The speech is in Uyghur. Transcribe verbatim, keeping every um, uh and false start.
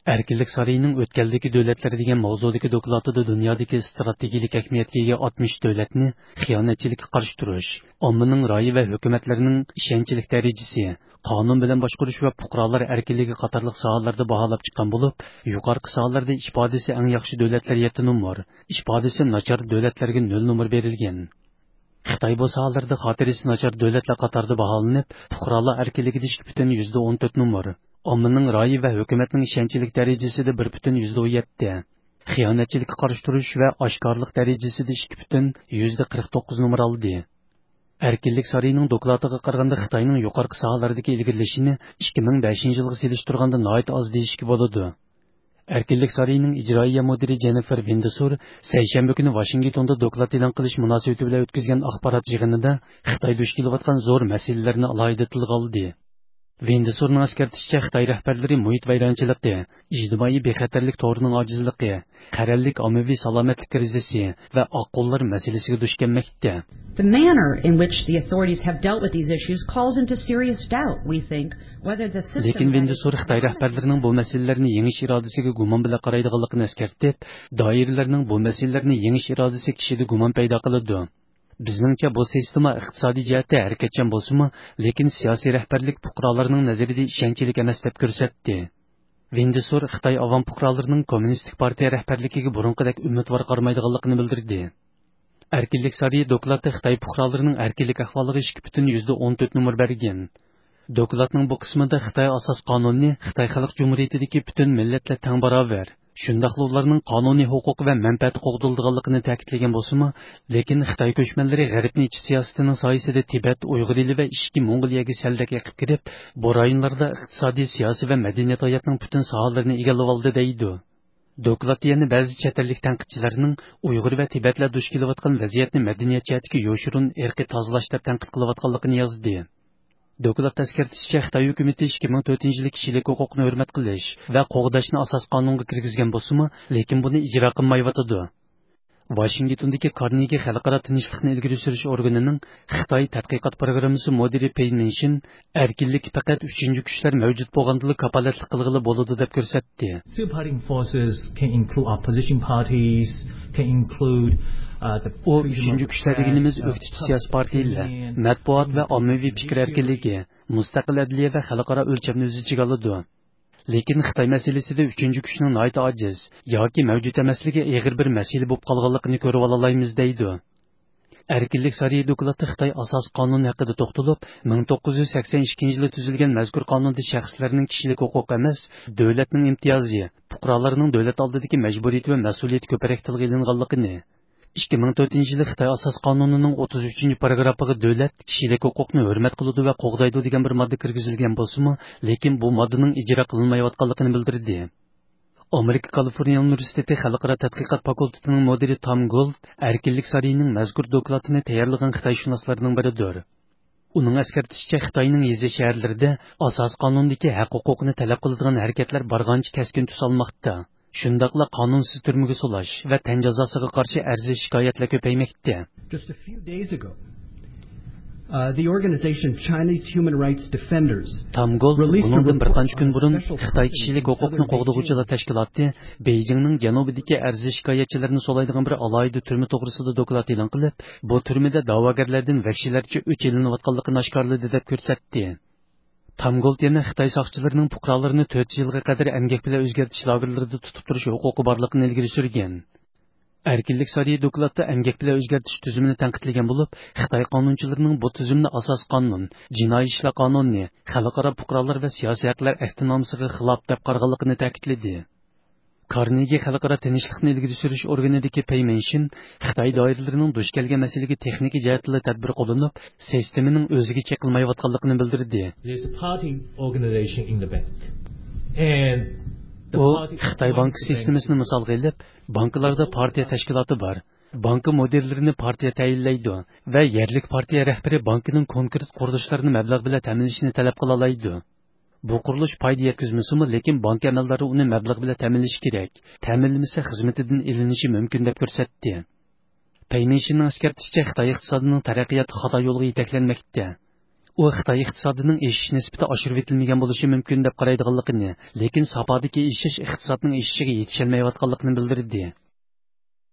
ئەركىنلىك سارىيىنىڭ ئۆتكەلدىكى دۆلەتلەر دېگەن ماۋزۇدىكى دوكلاتىدا دۇنيادىكى ئىستراتېگىيەلىك ئەھمىيەتكە ئىگە ئاتمىش دۆلەتنى خىيانەتچىلىككە قارشى تۇرۇش، ئاممىنىڭ رايى ۋە ھۆكۈمەتلىرىنىڭ ئىشەنچلىك دەرىجىسى، قانۇن بىلەن باشقۇرۇش ۋە پۇقرالار ئەركىنلىكى قاتارلىق ساھەلەردە باھالاپ چىققان بولۇپ، يۇقىرىقى ساھەلەردە ئىپادىسى ئەڭ ياخشى دۆلەتلەر يەتتە نومۇر، ئىپادىسى ناچار دۆلەتلەرگە نۆل نومۇر بېرىلگەن. خىتاي بۇ ساھەلەردە خاتىرىسى ناچار دۆلەتلەر قاتارىدا باھالىنىپ، پۇقرالار ئەركىنلىكىدە ئىككى پۈتۈن يۈزدە ئون تۆت نومۇر، ئاممىنىڭ رايى ۋە ھۆكۈمەتنىڭ ئىشەنچلىك دەرىجىسىدە بىر پۈتۈن يۈزدە ئون يەتتە، خىيانەتچىلىككە قارشى تۇرۇش ۋە ئاشكارىلىق دەرىجىسىدە ئىككى پۈتۈن يۈزدە قىرىق توققۇز نومۇر ئالدى. ئەركىنلىك سارىيىنىڭ دوكلاتىغا قارىغاندا، خىتاينىڭ يۇقىرىقى ساھەلەردىكى ئىلگىرىلىشىنى ئىككى مىڭ بەشىنچى يىلغا سېلىشتۇرغاندا ناھايىتى ئاز دېيىشكە بولىدۇ. ئەركىنلىك سارىيىنىڭ ئىجرائىيە مۇدىرى جېننىفېر ۋىندسور سەيشەنبە كۈنى ۋاشىنگتوندا دوكلات ئېلان قىلىش مۇناسىۋىتى بىلەن ئۆتكۈزگەن ئاخبارات يىغىنىدا خىتاي دۇچ كېلىۋاتقان زور مەسىلىلەرنى ئالاھىدە تىلغا ئالدى. ۋىندسورنىڭ ئەسكەرتىشىچە، خىتاي رەھبەرلىرى مۇھىت ۋەيرانچىلىقى، ئىجتىمائىي بىخەتەرلىك تورىنىڭ ئاجىزلىقى، قەرەللىك ئاممىۋى سالامەتلىك كرىزىسى ۋە ئاققۇنلار مەسىلىسىگە دۇچ كەلمەكتە. The manner in which the authorities have dealt with these issues calls into serious doubt, we think, whether the system لېكىن ۋىندسور خىتاي رەھبەرلىرىنىڭ بۇ مەسىلىلەرنى يېڭىش ئىرادىسىگە گۇمان بىلەن قارايدىغانلىقىنى ئەسكەرتىپ، دائىرىلەرنىڭ بۇ مەسىلىلەرنى يېڭىش ئىرادىسى كىشىدە گۇمان پەيدا قىلىدۇ. بىزنىڭچە، بۇ سىستېما ئىقتىسادىي جەھەتتە ھەرىكەتچان بولسىمۇ، لېكىن سىياسىي رەھبەرلىك پۇقرالارنىڭ نەزىرىدە ئىشەنچلىك ئەمەس دەپ كۆرسەتتى. ۋىندسور خىتاي ئاۋام پۇقرالىرىنىڭ كوممۇنىستىك پارتىيە رەھبەرلىكىگە بۇرۇنقىدەك ئۈمىدۋار قارىمايدىغانلىقىنى بىلدۈردى. ئەركىنلىك سارىيى دوكلاتتا خىتاي پۇقرالىرىنىڭ ئەركىنلىك ئەھۋالىغا ئىككى پۈتۈن يۈزدە ئون تۆت نومۇر بەرگەن. دوكلاتنىڭ بۇ قىسمىدا خىتاي ئاساس قانۇنىنى خىتاي خەلق جۇمھۇرىيىتىدىكى پۈتۈن مىللەتلەر تەڭ باراۋەر، شۇنداقلا ئۇلارنىڭ قانۇنىي ھوقۇقى ۋە مەنپەئەتى قوغدىلىدىغانلىقىنى تەكىتلىگەن بولسىمۇ، لېكىن خىتاي كۆچمەنلىرى غەربنى ئېچىش سىياسىتىنىڭ سايىسىدە تىبەت، ئۇيغۇر ئېلى ۋە ئىچكى موڭغۇلىيەگە سەلدەك ئېقىپ كىرىپ، بۇ رايونلاردا ئىقتىسادىي، سىياسىي ۋە مەدەنىيەت ھاياتنىڭ پۈتۈن ساھەلىرىنى ئىگىلىۋالدى، دەيدۇ. دوكلات يەنە بەزى چەت ئەللىك تەنقىدچىلەرنىڭ ئۇيغۇر ۋە تىبەتلەر دۇچ كېلىۋاتقان ۋەزىيەتنى مەدەنىيەت جەھەتتىكى يوشۇرۇن ئىرقىي تازىلاش دەپ تەنقىد قىلىۋاتقانلىقىنى يازدى. دوكلات ئەسكەرتىشىچە، خىتاي ھۆكۈمىتى ئىككى مىڭ تۆتىنچى يىلى كىشىلىك ھوقۇقنى ھۆرمەت قىلىش ۋە قوغداشنى ئاساسىي قانۇنغا كىرگۈزگەن بولسىمۇ، لېكىن بۇنى ئىجرا قىلمايۋاتىدۇ. ۋاشىنگتوندىكى كارنېگى خەلقئارا تىنچلىقنى ئىلگىرى سۈرۈش ئورگىنىنىڭ خىتاي تەتقىقات پروگراممىسى مۇدىرى پېي مىنشىن ئەركىنلىككە پەقەت ئۈچىنچى كۈچلەر مەۋجۇت بولغاندىلا كاپالەتلىك قىلغىلى بولىدۇ، دەپ كۆرسەتتى. Superparty forces can include opposition parties, can include, uh, the ئۇ ئۈچىنچى كۈچلەر دېگىنىمىز ئۆكتىچى سىياسىي پارتىيەلەر، مەتبۇئات ۋە ئاممىۋى پىكىر ئەركىنلىكى، مۇستەقىل ئەدلىيە ۋە خەلقئارا ئۆلچەمنى ئۆز ئىچىگە ئالىدۇ. لېكىن خىتاي مەسىلىسىدە ئۈچىنچى كۈچنىڭ ناھايىتى ئاجىز ياكى مەۋجۇت ئەمەسلىكى ئېغىر بىر مەسىلە بولۇپ قالغانلىقىنى كۆرۈۋالالايمىز، دەيدۇ. ئەركىنلىك سارىيى دوكلاتى خىتاي ئاساسىي قانۇنى ھەققىدە توختىلىپ، مىڭ توققۇز يۈز سەكسەن ئىككىنچى يىلى تۈزۈلگەن مەزكۇر قانۇندا شەخسلەرنىڭ كىشىلىك ھوقۇقى ئەمەس، دۆلەتنىڭ ئىمتىيازى، پۇقرالارنىڭ دۆلەت ئالدىدىكى مەجبۇرىيىتى ۋە مەسئۇلىيىتى كۆپرەك تىلغا ئېلىنغانلىقىنى، ئىككى مىڭ تۆتىنچى يىلى خىتاي ئاساسىي قانۇنىنىڭ ئوتتۇز ئۈچىنچى پاراگرافىغا دۆلەت كىشىلىك ھوقۇقنى ھۆرمەت قىلىدۇ ۋە قوغدايدۇ دېگەن بىر ماددا كىرگۈزۈلگەن بولسىمۇ، لېكىن بۇ ماددىنىڭ ئىجرا قىلىنمايۋاتقانلىقىنى بىلدۈردى. ئامېرىكا كالىفورنىيە ئۇنىۋېرسىتېتى خەلقئارا تەتقىقات فاكۇلتېتىنىڭ مۇدىرى تام گولد ئەركىنلىك سارىيىنىڭ مەزكۇر دوكلاتىنى تەييارلىغان خىتايشۇناسلارنىڭ بىرىدۇر. ئۇنىڭ ئەسكەرتىشىچە، خىتاينىڭ يېزا شەھەرلىرىدە ئاساسىي قانۇندىكى ھەق ھوقۇقنى تەلەپ قىلىدىغان ھەرىكەتلەر بارغانچە كەسكىن تۈس ئالماقتا. شۇنداقلا قانۇنسىز تۈرمىگە سولاش ۋە تەن جازاسىغا قارشى ئەرز شىكايەتلەر كۆپەيمەكتە. Just a few days ago, uh, the organization Chinese Human Rights Defenders تام گولد released a بۇنىڭدىن بىر قانچە كۈن بۇرۇن خىتاي كىشىلىك ھوقۇقنى قوغدىغۇچىلار تەشكىلاتى بېيجىڭنىڭ جەنۇبىدىكى ئەرز شىكايەتچىلەرنى سولايدىغان بىر ئالاھىدە تۈرمە توغرىسىدا دوكلات ئېلان قىلىپ، بۇ تۈرمىدە دەۋاگەرلەردىن ۋەھشىيلەرچە ئۆچ ئېلىنىۋاتقانلىقىنى ئاشكارىلىدى، دەپ كۆرسەتتى. تام گولد يەنە خىتاي ساقچىلىرىنىڭ پۇقرالارنى تۆت يىلغا قەدەر ئەمگەك بىلەن ئۆزگەرتىش لاگېرلىرىدا تۇتۇپ تۇرۇش ھوقۇقى بارلىقىنى ئىلگىرى سۈرگەن. ئەركىنلىك سارىيى دوكلاتتا ئەمگەك بىلەن ئۆزگەرتىش تۈزۈمىنى تەنقىدلىگەن بولۇپ، خىتاي قانۇنچىلىرىنىڭ بۇ تۈزۈمنى ئاساسىي قانۇن، جىنايى ئىشلار قانۇنى، خەلقئارا پۇقرالار ۋە سىياسىي ھەقلەر ئەھدىنامىسىغا خىلاپ دەپ قارىغانلىقىنى تەكىتلىدى. كارنېگى خەلقئارا تىنچلىقنى ئىلگىرى سۈرۈش ئورگىنىدىكى پېي مىنشىن خىتاي دائىرىلىرىنىڭ دۇچ كەلگەن مەسىلىگە تېخنىكا جەھەتتىلا تەدبىر قوللىنىپ، سىستېمىنىڭ ئۆزىگە چېقىلمايۋاتقانلىقىنى بىلدۈردى. There's a party organization in the back. And ئۇ خىتاي بانكا سىستېمىسىنى مىسالغا ئېلىپ، بانكىلاردا پارتىيە تەشكىلاتى بار. بانكا مۇدىرلىرىنى پارتىيە تەيىنلەيدۇ ۋە يەرلىك پارتىيە رەھبىرى بانكىنىڭ كونكرېت قۇرۇلۇشلىرىنى مەبلەغ بىلەن تەمىنلىشىنى تەلەپ قىلالايدۇ. بۇ قۇرۇلۇش پايدا يەتكۈزمىسىمۇ، لېكىن بانكا ئەمەلدارى ئۇنى مەبلەغ بىلەن تەمىنلىشى كېرەك. تەمىنلىمىسە، خىزمىتىدىن ئېلىنىشى مۇمكىن، دەپ كۆرسەتتى. پېي مىنشىننىڭ ئەسكەرتىشىچە، خىتاي ئىقتىسادىنىڭ تەرەققىياتى خاتا يولغا يېتەكلەنمەكتە. ئۇ خىتاي ئىقتىسادىنىڭ ئېشىش نىسبىتى ئاشۇرۇۋېتىلمىگەن بولۇشى مۇمكىن دەپ قارايدىغانلىقىنى، لېكىن ساپادىكى ئېشىش ئىقتىسادنىڭ ئېشىشىغا يېتىشەلمەيۋاتقانلىقىنى بىلدۈردى.